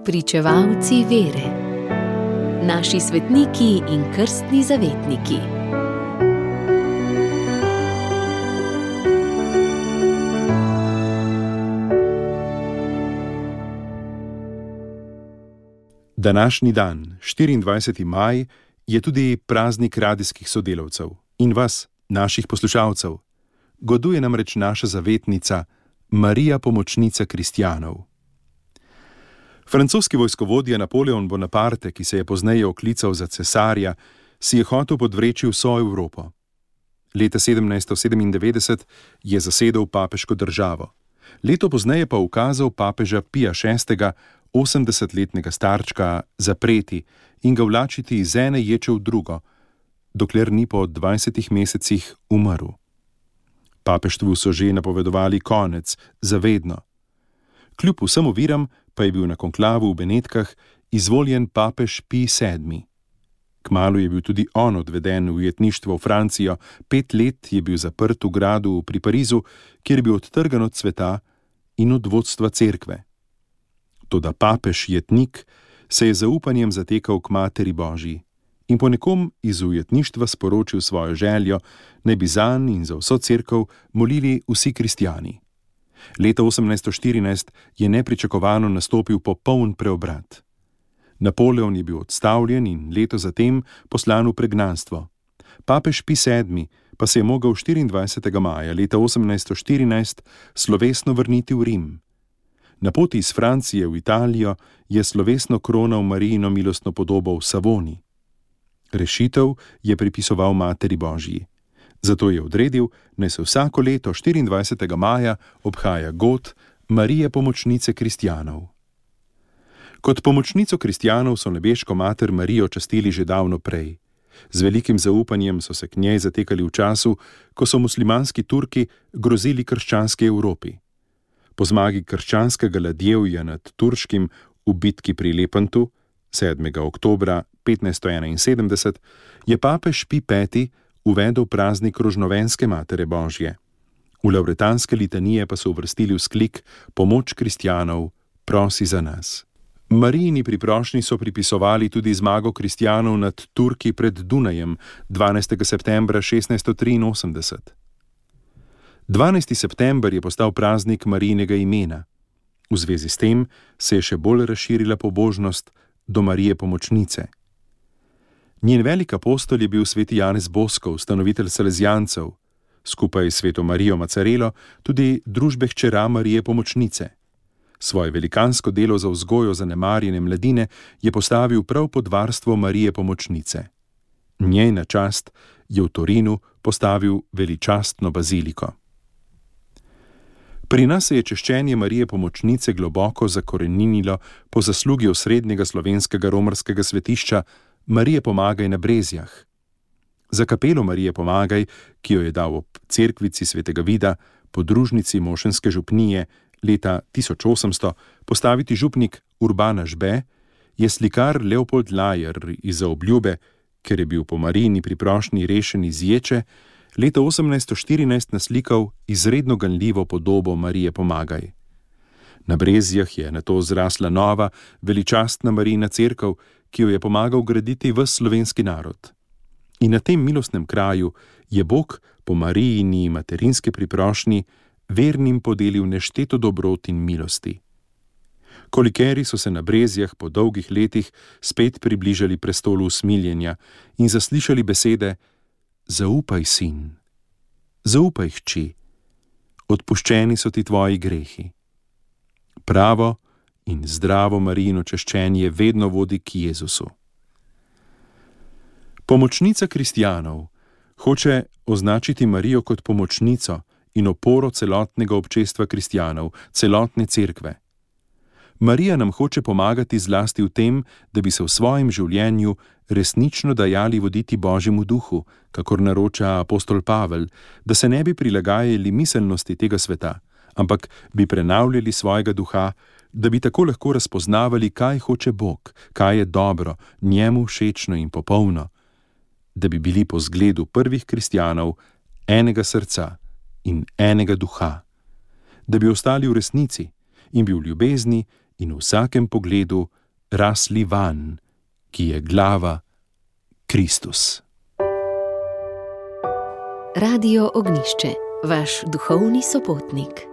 Spričevalci vere. Naši svetniki in krstni zavetniki. Današnji dan, 24. maj, je tudi praznik radijskih sodelavcev in vas, naših poslušalcev. Goduje namreč naša zavetnica, Marija pomočnica kristjanov. Francoski vojskovodja Napoleon Bonaparte, ki se je pozneje oklical za cesarja, si je hotel podvreči vso Evropo. Leta 1797 je zasedel papeško državo. Leto pozneje pa ukazal papeža Pija VI., 80-letnega starčka, zapreti in ga vlačiti iz ene ječe v drugo, dokler ni po 20 mesecih umrl. Papeštvu so že napovedovali konec, zavedno. Kljub vsem oviram pa je bil na konklavu v Benetkah izvoljen papež Pij VII. Kmalu je bil tudi on odveden v ujetništvo v Francijo, 5 let je bil zaprt v gradu pri Parizu, kjer je bil odtrgan od sveta in od vodstva cerkve. Toda papež jetnik se je zaupanjem zatekal k Materi Božji in po nekom iz ujetništva sporočil svojo željo, naj bi zanj in za vso cerkev molili vsi kristjani. Leta 1814 je nepričakovano nastopil popoln preobrat. Napoleon je bil odstavljen in leto zatem poslan v pregnanstvo. Papež Pij VII. Pa se je mogel 24. maja leta 1814 slovesno vrniti v Rim. Na poti iz Francije v Italijo je slovesno kronal Marijino milostno podobo v Savoni. Rešitev je pripisoval Materi Božji. Zato je odredil, naj se vsako leto 24. maja obhaja god Marije pomočnice kristjanov. Kot pomočnico kristjanov so nebeško mater Marijo častili že davno prej. Z velikim zaupanjem so se k njej zatekali v času, ko so muslimanski Turki grozili krščanski Evropi. Po zmagi krščanskega ladjevja nad turškim v bitki pri Lepantu 7. oktobra 1571 je papež Pij V. uvedel praznik Rožnovenske Matere Božje. V lavretanske litanije pa so uvrstili vzklik Pomoč kristjanov, prosi za nas. Marijini priprošnji so pripisovali tudi zmago kristjanov nad Turki pred Dunajem 12. septembra 1683. 12. september je postal praznik Marijinega imena. V zvezi s tem se je še bolj razširila pobožnost do Marije pomočnice. Njen velik apostol je bil sveti Janez Boskov, ustanovitelj Salezijancev, skupaj s sveto Marijo Macarelo tudi družbe hčera Marije pomočnice. Svoje velikansko delo za vzgojo zanemarjene mladine je postavil prav pod varstvo Marije pomočnice. Njej na čast je v Torinu postavil veličastno baziliko. Pri nas se je češčenje Marije pomočnice globoko zakoreninilo po zaslugi osrednjega slovenskega romarskega svetišča Marije Pomagaj na Brezjah. Za kapelo Marije Pomagaj, ki jo je dal ob cerkvici svetega Vida, podružnici mošenske župnije, leta 1800 postaviti župnik Urbana Žbe, je slikar Leopold Lajer iz Obljube, ker je bil po Marijini priprošnji rešen iz ječe, leta 1814 naslikal izredno ganljivo podobo Marije Pomagaj. Na Brezjah je nato zrasla nova, veličastna Marijina cerkev, ki jo je pomagal graditi ves slovenski narod. In na tem milostnem kraju je Bog po Marijini materinski priprošnji vernim podelil nešteto dobrot in milosti. Kolikeri so se na Brezjah po dolgih letih spet približali prestolu usmiljenja in zaslišali besede: Zaupaj, sin, zaupaj, hči, odpuščeni so ti tvoji grehi. Pravo in zdravo Marijino češčenje vedno vodi k Jezusu. Pomočnica kristjanov hoče označiti Marijo kot pomočnico in oporo celotnega občestva kristjanov, celotne cerkve. Marija nam hoče pomagati zlasti v tem, da bi se v svojem življenju resnično dajali voditi Božjemu duhu, kakor naroča apostol Pavel, da se ne bi prilagajali miselnosti tega sveta, ampak bi prenavljali svojega duha, da bi tako lahko razpoznavali, kaj hoče Bog, kaj je dobro, njemu všečno in popolno, da bi bili po zgledu prvih kristjanov enega srca in enega duha, da bi ostali v resnici in bi v ljubezni in v vsakem pogledu rasli vanj, ki je glava Kristus. Radio Ognjišče, vaš duhovni sopotnik.